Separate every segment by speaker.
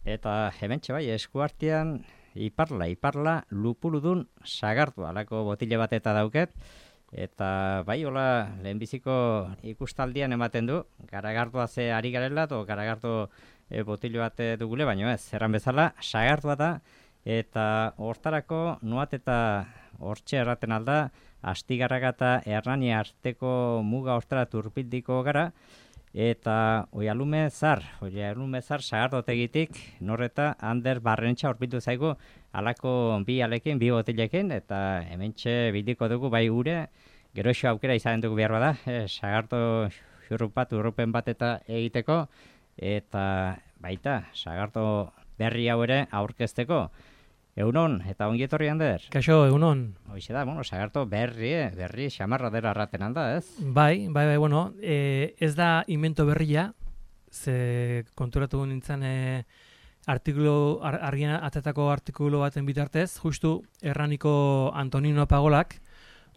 Speaker 1: Eta hementxe bai, eskuartean iparla, lupuludun sagartu, alako botile bat eta dauket. Eta bai, hola, lehenbiziko ikustaldian ematen du, garagartua ze ari garela, o garagartu botile bat dugule, baino ez, erran bezala, sagartua da, eta hortarako nuat eta hortxe erraten alda, Astigarraga eta Hernani arteko muga hortara turpildiko gara, eta oialume zar sagardotegitik norreta Ander Barrentxa horpildu zaigu alako bi alekin, bi botilekin, eta hementxe bildiko dugu bai gure, geroxo aukera izaten dugu behar bada, sagardo xurrupen bat eta egiteko, eta baita, sagardo berri hau ere aurkezteko. Egunon, eta ongi etorri Ander?
Speaker 2: Kaixo, egunon.
Speaker 1: Hoixe da, sagardo berri xamarra dela arraten alda, ez?
Speaker 2: Bai, bueno, ez da invento berria, ze konturatu nintzen argian atetako artikulu baten bitartez, justu Hernaniko Antonino Pagolak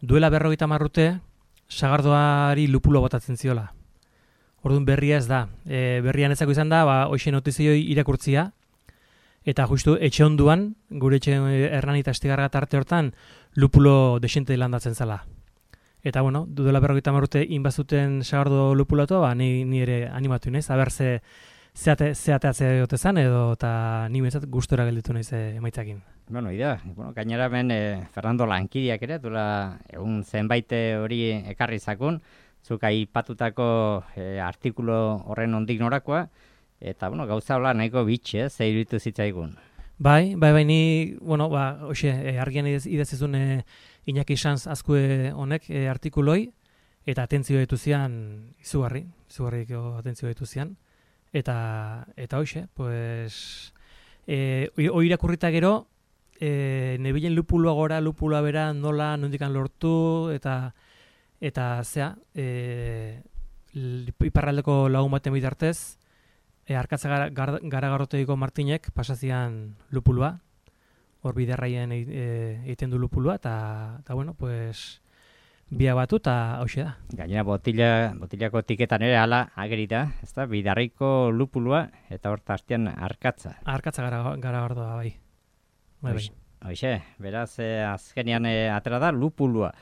Speaker 2: duela 50 urte sagardoari lupulo botatzen ziola. Orduan berria ez da. Berrian ezako izan da, hoxe notizioi irakurtzia, eta justu etxe onduan, gure etxe Hernani eta Astigarraga tarte hortan, lupulo desente landatzen zala. Eta bueno, duela 50 urte inbazuten sagardo lupulatu, ni ere animatu naiz, aber zeateatze gote zan, edo eta ni bezat gustora gelditu naiz emaitzakin.
Speaker 1: Bueno, gainera ben Fernando Lankidiak ere, duela egun zenbait hori ekarri zakun, zuk aipatutako artikulu horren ondik norakoa, eta gauza hola nahiko bitxe, ze iruditu zitzaigun.
Speaker 2: Bai, ni, argian idazizun Iñaki Sanz azkue honek artikuloi, eta atentzio ditu zian, izugarriko atentzio ditu zian, eta hoxe, pues, hoi irakurrita gero, nebilen lupulua gora, lupulua bera, nola, nondikan lortu, eta zea, iparraldeko lagun baten bitartez, Arkatza Garagardotegiko Martinek pasazian lupulua, hor biderraien egiten du lupulua, eta pues, bia batu, eta hauxe da.
Speaker 1: Gainera botilako tiketan ere ala agerita, ez da, bidarriko lupulua, eta hor tartean Arkatza.
Speaker 2: Arkatza Garagardoa, bai.
Speaker 1: Hoxe, beraz, azkenean atera da lupulua.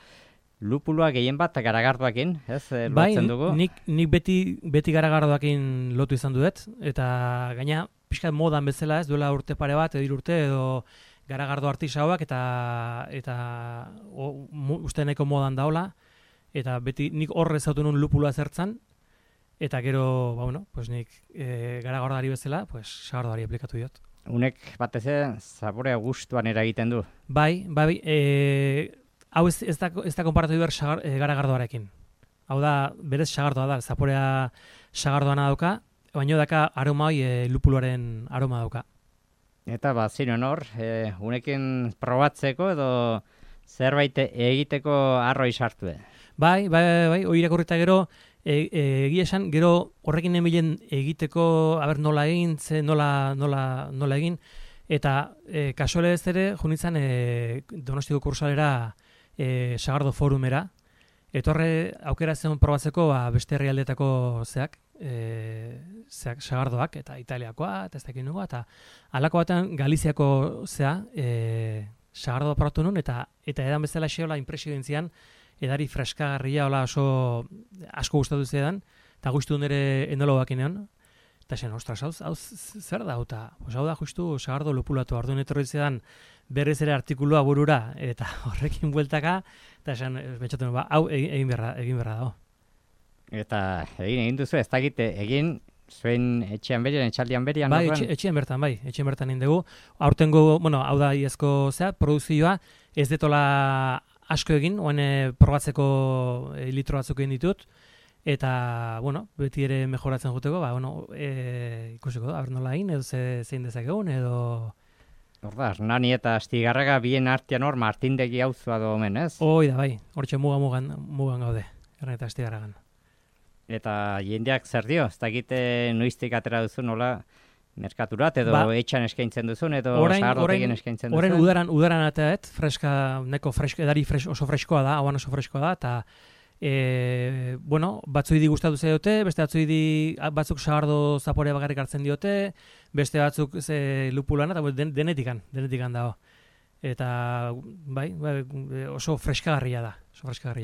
Speaker 1: Lupulua gehien bat garagardoakin, ez, lotzen dugu?
Speaker 2: Bai, nik beti garagardoakin lotu izan duet, eta gaina pixkat modan bezala, ez, duela urte pare bat, edo urte, edo garagardo artisauak, eta uste nahiko modan daola, eta beti nik horre zautu nun lupulua zertzan, eta gero, pues nik garagardoari bezala, pues sagardoari aplikatu diot.
Speaker 1: Unek batez zaborea gustuan eragiten du?
Speaker 2: Bai, hau ez da konparatu behar garagardoarekin. Hau da, berez sagardoa da, zaporea sagardoana dauka, baina daka aroma hoi lupuluaren aroma dauka.
Speaker 1: Eta ziren hor, unekin probatzeko edo zerbait egiteko arroi sartu.
Speaker 2: Bai, hoi irakurrita gero, egia esan, gero horrekin nemilen egiteko, nola egin, nola egin, eta kasuale ez ere, junitzen Donostiko kursalera sagardo forumera, etorre aukera zen probatzeko beste herrialdeetako zeak sagardoak, eta Italiakoa, eta ez dakin nugu, eta halako batean Galiziako sagardo probatu nun, eta edan bezala xeola impresio dintzian, edari freskagarria, oso asko gustatu zedan, eta guztu nire enologak inean, eta zen, ostras, hau zer da, hau da justu sagardo lupulatu, orduan etorri zedan berriz ere artikulua burura, eta horrekin bueltaka, eta esan, betxaten, hau egin berra dago.
Speaker 1: Eta egin duzu, ez dakite, egin zuen etxean berian, etxaldian berian?
Speaker 2: Bai, etxean bertan egin dugu. Aurtengo, hau da iazko produzioa, ez detola asko egin, oen probatzeko litro batzuk egin ditut, eta, beti ere mejoratzen juteko, ikusiko da, nola egin, edo zein dezakegun, edo...
Speaker 1: Horda, Hernani eta Astigarraga bien artean hor Martindegi auzua do omen, ez?
Speaker 2: Hoi da, bai, hortxe mugan gaude, Hernani eta Astigarragan.
Speaker 1: Eta jendeak zer dio, ez dakite noiztik atera duzu nola merkaturat, edo etxan eskaintzen duzun, edo sagardotegien eskaintzen duzun?
Speaker 2: Orain udaran ateat, edari oso freskoa da, hauan oso freskoa da, Bueno, batzuidi gustatu zaiote, beste batzuk sagardo zaporea bakarrik hartzen diote, beste batzuk lupulana, eta denetikan dago. Eta bai, oso freskagarria da.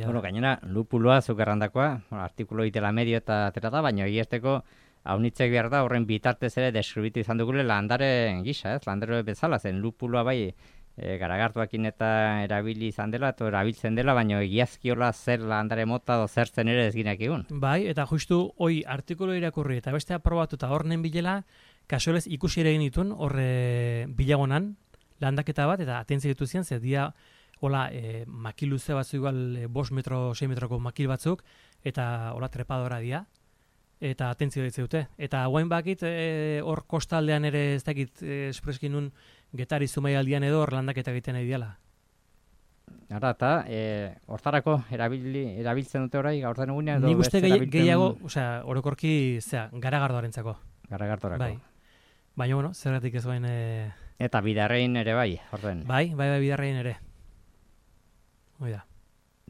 Speaker 1: Bueno, gainera, lupuloa zuk errandakoa, artikulo itela medio eta atera da, baina egiazteko haunitzek behar da horren bitartez ere deskribitu izan dugule landare gisa, landare bezala, zen lupuloa bai garagartuakin eta erabili izan dela, eta erabiltzen dela, baina egiazkiola zer landare mota do zertzen ere ez ginak egun.
Speaker 2: Bai, eta justu hoi artikulo irakurri eta beste aprobatu eta horren bilela, kasualez ikusi ere egin ditun, horre bilagonan, landaketa bat, eta atentzia dituzien, zer dia, hola, makil luze batzu igual 5 metro, 6 metroko makil batzuk, eta hola trepadora dia, eta atentzio ditzeute. Eta guain bakit, hor kostaldean ere ez dakit espreskin nun Getari Zumaialdian edo hor landaketa egiten nahi diala.
Speaker 1: Ara, eta hortarako erabiltzen dute orai, gaurten egunean edo...
Speaker 2: Nik uste gehiago, orokorki, garagardoarentzako.
Speaker 1: Garagardorako.
Speaker 2: Bai. Baina, bueno, zergatik ez bain...
Speaker 1: Eta bidarrein ere bai, orden.
Speaker 2: Bai, bidarrein ere. Hoi da.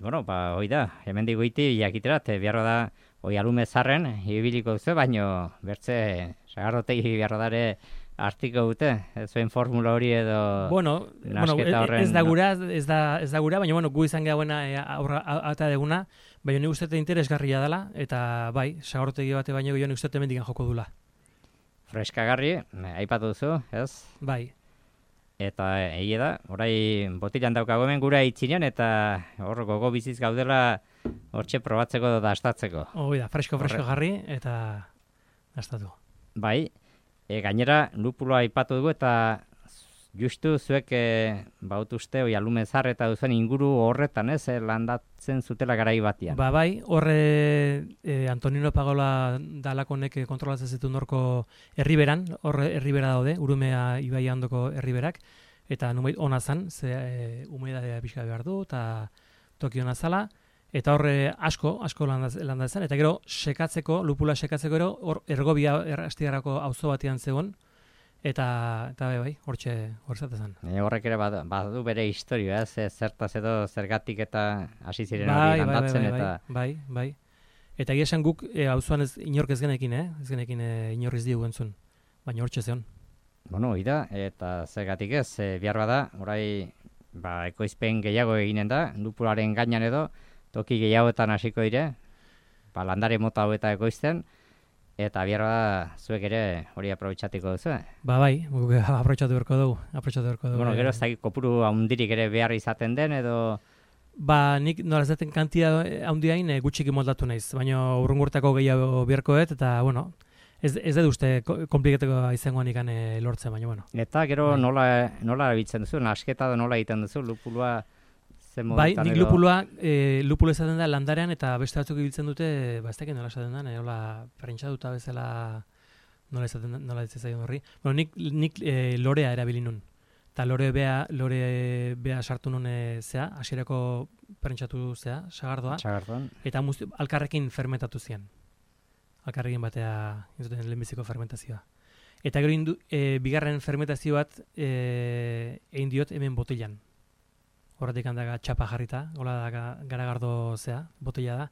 Speaker 1: Bueno, hoi da, hemen digoiti jakiterat, biharro da, hoi alume zarren, ibiliko duzu, baino bertze, sagardotegi biharro dare artiko dute, ez zuen formula hori edo nasketa horren...
Speaker 2: Ez da gura, baina gu izan gehauen eta deguna, baina nik uste interesgarria dela, eta bai, sagardotegi bate baino nik uste mendikan joko dula.
Speaker 1: Freskagarri, aipatu duzu, ez?
Speaker 2: Bai.
Speaker 1: Eta egia da, orai botilan daukago hemen gura itxinean, eta hor gogo biziz gaudela hortxe probatzeko edo dastatzeko.
Speaker 2: Hoi da, fresko jarri eta dastatu.
Speaker 1: Bai, gainera lupuloa aipatu dugu eta justu zuek bautuzte oi alumezar eta duzen inguru horretan, ez, landatzen zutela garai batian.
Speaker 2: Ba bai, horre Antonino Pagola dalakonek kontrolatzen zituen horko herriberan, horre herribera daude, Urumea ibaia ondoko herriberak, eta numeit ona zan, ze humedadea pixka behar du, eta toki ona zala, eta horre asko landatzen, eta gero lupula sekatzeko ero, hor ergobia astigarako auzo batean zegoen, eta bai, hortzatzen zen.
Speaker 1: Horrek ere badu bere historia, zertaz edo zergatik eta hasi ziren hori landatzen eta...
Speaker 2: Bai. Eta egia esan guk auzoan inork ez genekin, ez genekin inorriz digu entzun, baina hortxe zeon.
Speaker 1: Bueno, da, eta zergatik ez, behar bada, orai ekoizpen gehiago eginen da, lupularen gainan edo, toki gehiagoetan hasiko dire, landare mota hau eta ekoizten, eta bihar da zuek ere hori aprobetxatiko duzu.
Speaker 2: Ba bai, aprobetxatu berko dugu.
Speaker 1: Bueno, gero ez da kopuru haundirik ere behar izaten den edo...
Speaker 2: Ba, nik nola ez daten kantia haundiain gutxik moldatu naiz, baina urrungurtako gehiago beharkoet, eta bueno, ez dut uste kompliketeko izangoan ikan lortzen, baina bueno.
Speaker 1: Eta gero nola erabiltzen duzu, nasketa da nola egiten duzu, lupulua...
Speaker 2: Bai, nik lupuloa esaten da landarean eta beste batzuk ibiltzen dute, ez dakit nola esaten da, hola prentxatuta bezala nola esaten horri. Bueno, nik lorea erabili nun. Eta lore bea sartu nun hasierako prentxatu sagardoa. Eta alkarrekin fermentatu zian. Alkarrekin batea, lehenbiziko fermentazioa. Eta gero bigarren fermentazio bat egin diot hemen botellan. Horretik handaga txapa jarrita, hola da garagardo botella da,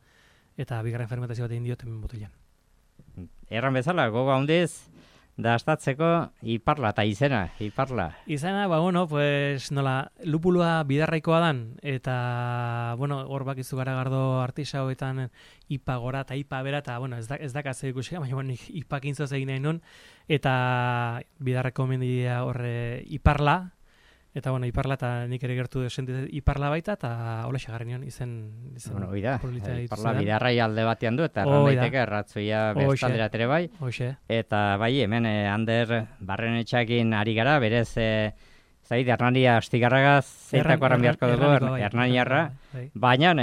Speaker 2: eta bigarren fermentazio bat egin diot hemen botellan.
Speaker 1: Erran bezala, gogo handiz, dastatzeko iparla eta iparla.
Speaker 2: Izena, pues nola, lupulua bidarraikoa dan, eta, hor bakizu garagardo artisauetan ipa gora eta ipa bera, eta, ez dakaz ikusi, baina, ipakin zoz egin nahi nun, eta bidarrako mendia horre iparla, eta, iparla, eta nik ere gertu sentitzen iparla baita, eta hola xagarri nion izen
Speaker 1: oida, iparla bidarrai alde batean du, eta erran daiteke erratzuia bestalderat ere bai. Eta bai, hemen Ander Barrenetxakin ari gara, berez, zait, Hernania Astigarragaz, zeitako arran beharko dugu, Hernaniarra, baina,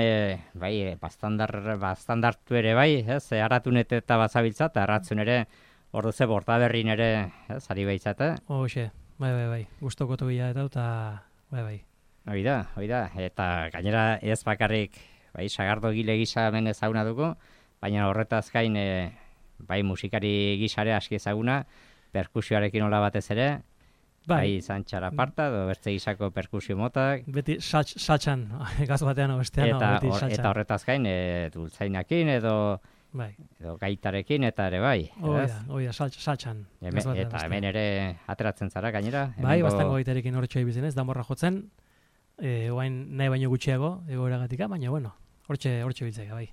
Speaker 1: bai, bastandartu ere bai, haratunet eta bazabiltza, eta erratzun ere, ordu ze bortaberrin ere, ari baitzate.
Speaker 2: Bai, guztoko tobila eta bai.
Speaker 1: Hoi da, eta gainera ez bakarrik, sagardo gile gisa hemen ezaguna dugu, baina horretaz gain, musikari gisare aski ezaguna, perkusioarekin hola batez ere, bai zantxara parta, edo bertze izako perkusio motak.
Speaker 2: Beti saltxan, gaz batean o bestean, beti saltxan.
Speaker 1: Eta horretaz gain, dultzainakin edo gaitarekin eta ere bai.
Speaker 2: Oida, saltxan.
Speaker 1: Eta hemen ere ateratzen zara gainera.
Speaker 2: Bai, bastango gaitarekin horretxo ibizen ez, danborra jotzen, oain nahi baino gutxiago egoeragatika, baina bueno, hortxe biltzeka, bai.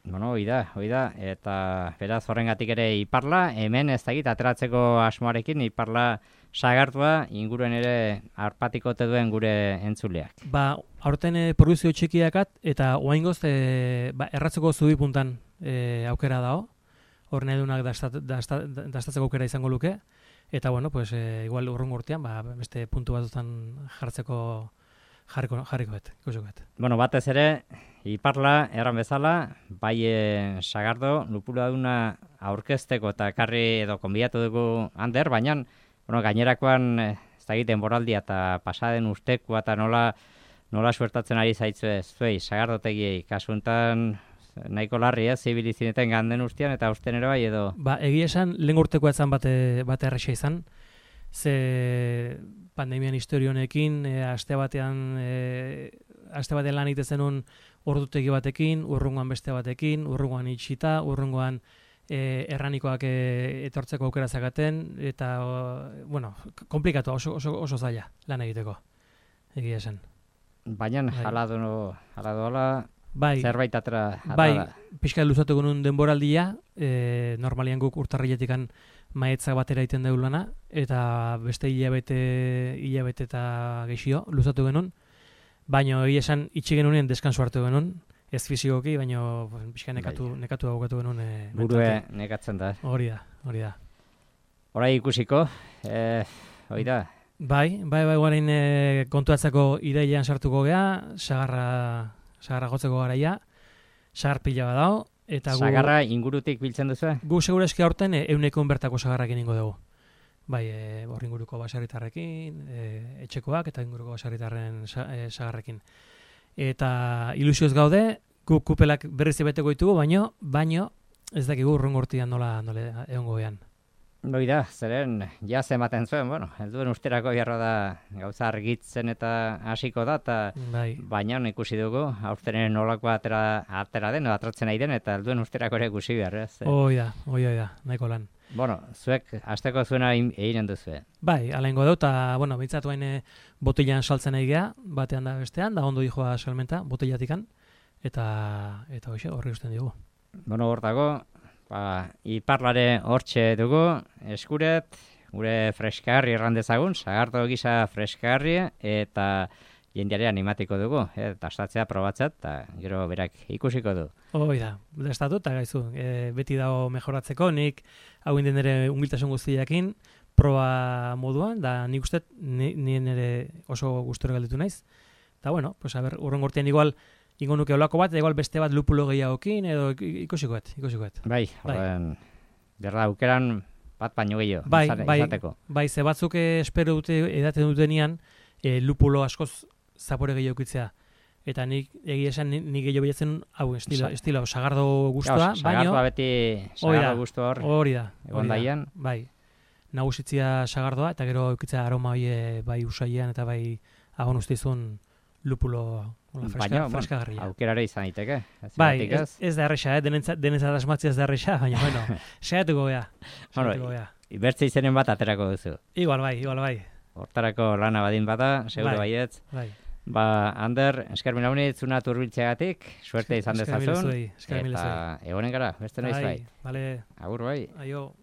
Speaker 1: Bueno, hoi da, eta beraz horrengatik ere Iparla, hemen ez dakit ateratzeko asmoarekin Iparla sagartua inguruen ere arpatiko te duen gure entzuleak.
Speaker 2: Ba, aurten produzio txikiakat eta oaingoz erratzeko zubi puntan aukera dao, hor nahi dunak dastatzeko aukera izango luke, eta bueno, pues igual urrungo urtean, beste puntu batutan jarriko ikusiko.
Speaker 1: Bueno, batez ere, Iparla, erran bezala, bai sagardo, lupuladuna aurkezteko eta karri edo konbidatu dugu Ander, baina gainerakoan ez da egiten boraldia eta pasaden usteko eta nola suertatzen ari zaitzu zuei, sagardotegiei, kasuntan nahiko larri zibilizineten ganden ustean eta usten ere bai edo?
Speaker 2: Ba, egia esan, lehen urteko etzan bate erresa izan, ze pandemian historionekin, aste batean lan egiten zenun ordutegi batekin, urrungoan beste batekin, urrungoan itxita, urrungoan erranikoak etortzeko aukera zagaten, eta, bueno, komplikatu, oso zaila lan egiteko, egia esan.
Speaker 1: Baina, hala dola,
Speaker 2: bai,
Speaker 1: zerbait atera.
Speaker 2: Bai, pixka luzatuko nun denboraldia, normalian guk urtarriletikan maetzak batera egiten dugu lana, eta beste hilabete eta geixio luzatu genuen, baina egia esan itxi genunean deskansu hartu genuen, ez fizikoki, baina pixka nekatu abokatu genuen.
Speaker 1: Burue nekatzen da.
Speaker 2: Hori da.
Speaker 1: Horai ikusiko, hori da.
Speaker 2: Bai, guarein kontuatzeko ideian sartuko gea, sagarra gotzeko garaia, sagar pila badao, eta
Speaker 1: sagarra ingurutik biltzen duzu?
Speaker 2: Gu segurazki aurten euneko bertako sagarrakin ingo dugu. Bai, hor inguruko baserritarrekin, etxekoak eta inguruko baserritarren sagarrekin. Eta ilusioz gaude, kupelak berriz beteko ditugu, baino ez dakigu urrungo urtean nola egongo gean.
Speaker 1: Hoi da, zeren jaz ematen zuen, helduen usterako jarra da gauza argitzen eta hasiko da, eta baina ikusi dugu, aurtenen nolako atera den, atratzen nahi den, eta helduen usterako ere ikusi behar.
Speaker 2: Hoi da, nahiko lan.
Speaker 1: Bueno, zuek hasteko zuena eginen duzu.
Speaker 2: Bai, ala ingo dut, eta, bintzatu hain botilan saltzen egea, batean da bestean, da ondo dijoa salmenta, botilatikan, eta hoxe, horri usten dugu.
Speaker 1: Bueno, hor dago, Iparlare hortxe dugu, eskuret, gure freskagarri errandezagun, sagardo gisa freskagarri, eta jendeare animatiko dugu, eta astatzea probatzat, eta gero berak ikusiko du.
Speaker 2: Hoi da, estatu eta gaizu, beti dago mejoratzeko, nik hau inden ere humiltasun guztiakin, proba moduan, da nik uste nien ere oso gustura galditu naiz. Eta bueno, pues a ber, urren gortean igual, ingo nuke olako bat, igual beste bat lupulo gehiagokin, edo ikusikoet.
Speaker 1: Bai, horren, berda, aukeran bat baino gehiago, izateko.
Speaker 2: Bai, ze batzuk espero dute edaten dutenian, lupulo askoz zapore gehiago ikitzea. Eta nik egia esan nik gehiago bilatzen hau estilo sagardo guztua, baino...
Speaker 1: Sagardoa beti sagardo guztua
Speaker 2: hori da.
Speaker 1: Egon daian.
Speaker 2: Bai, nagusitzia sagardoa, eta gero eukitza aroma bai usaian, eta bai agon ustizun lupulo freskagarria.
Speaker 1: Baina, aukerare izan daiteke.
Speaker 2: Bai, ez da erresa, denentzat asmatzia ez da erresa, baina, saiatuko gea.
Speaker 1: Ibertze izenen bat aterako duzu.
Speaker 2: Igual bai.
Speaker 1: Hortarako lana badin bada, seguro baietz.
Speaker 2: Bai.
Speaker 1: Ander, eskermin haunit, zuna turbiltzeagatik, suerte izan dezazun.
Speaker 2: Eskermin
Speaker 1: eta egonen gara, beste noiz bai.
Speaker 2: Vale.
Speaker 1: Agur bai.
Speaker 2: Aio.